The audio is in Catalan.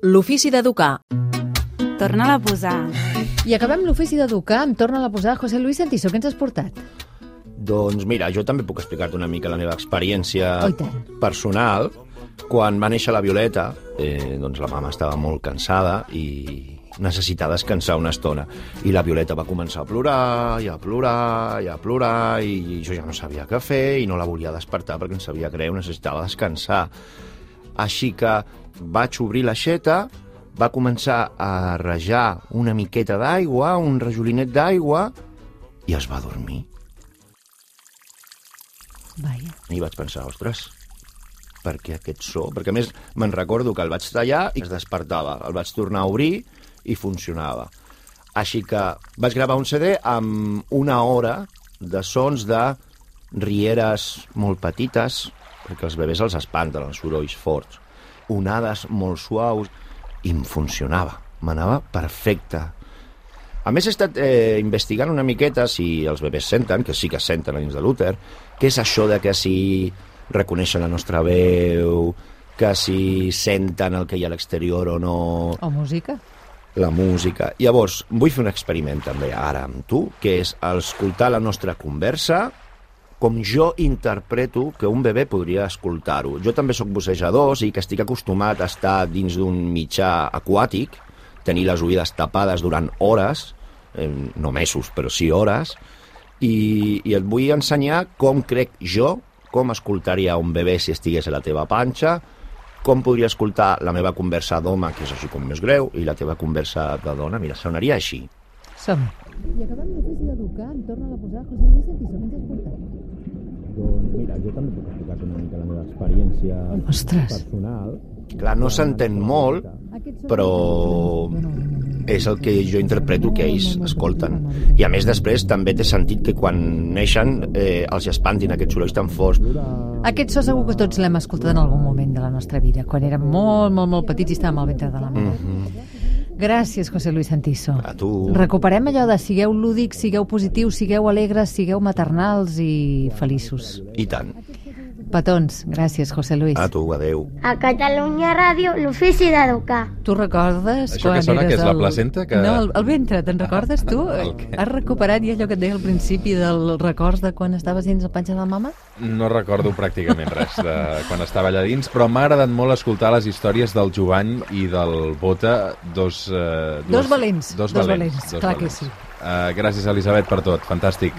L'ofici d'educar. Torna-la a posar. I acabem l'ofici d'educar amb Torna-la a posar. José Luis Santiso, què ens has portat? Doncs mira, jo també puc explicar-te una mica la meva experiència personal. Quan va néixer la Violeta, doncs la mama estava molt cansada i necessitava descansar una estona. I la Violeta va començar a plorar, i a plorar, i a plorar, i jo ja no sabia què fer i no la volia despertar perquè em sabia greu, necessitava descansar. Així que vaig obrir l'aixeta, va començar a rajar una miqueta d'aigua, un rajolinet d'aigua, i es va dormir. Vaja. I vaig pensar, ostres, per què aquest so? Perquè a més me'n recordo que el vaig tallar i es despertava. El vaig tornar a obrir i funcionava. Així que vaig gravar un CD amb 1 hora de sons de rieres molt petites, perquè els bebès els espanten, els sorolls forts, onades molt suaus, i em funcionava, m'anava perfecte. A més, he estat investigant una miqueta si els bebès senten, que sí que senten dins de l'úter, què és això de que si reconeixen la nostra veu, que si senten el que hi ha a l'exterior o no... O música. La música. Llavors, vull fer un experiment també ara amb tu, que és escoltar la nostra conversa com jo interpreto que un bebè podria escoltar-ho. Jo també sóc bussejador, i que estic acostumat a estar dins d'un mitjà aquàtic, tenir les oïdes tapades durant hores, no mesos, però sí hores, i et vull ensenyar com crec jo, com escoltaria un bebè si estigués a la teva panxa, com podria escoltar la meva conversa d'home, que és així com més greu, i la teva conversa de dona, mira, sonaria així. Som-hi. I acabem l'ofici d'educar, em torna a posar José Luis Santiso, què ens has portat? Doncs mira, jo també puc explicar una mica la meva experiència personal. Clar, no s'entén molt, però és el que jo interpreto que ells escolten. I a més després també té sentit que quan neixen els espantin aquests sorolls tan forts. Aquest so segur que tots l'hem escoltat en algun moment de la nostra vida, quan érem molt, molt, molt petits i estàvem al ventre de la mare. Gràcies, José Luis Santiso. A tu. Recuperem allò de sigueu lúdics, sigueu positius, sigueu alegres, sigueu maternals i feliços. I tant. Petons, gràcies, José Luis. A tu, adeu. A Catalunya Ràdio, l'ofici d'educar. Tu recordes això quan que sona, eres que és la placenta? Que... No, el ventre, te'n recordes tu? Has recuperat ja allò que et deia al principi dels records de quan estaves dins el panxa de la mama? No recordo pràcticament res de quan estava allà dins, però m'ha agradat molt escoltar les històries del Jovany i del Bota, dos valents. Dos valents, clar que sí. Gràcies, Elisabet, per tot. Fantàstic.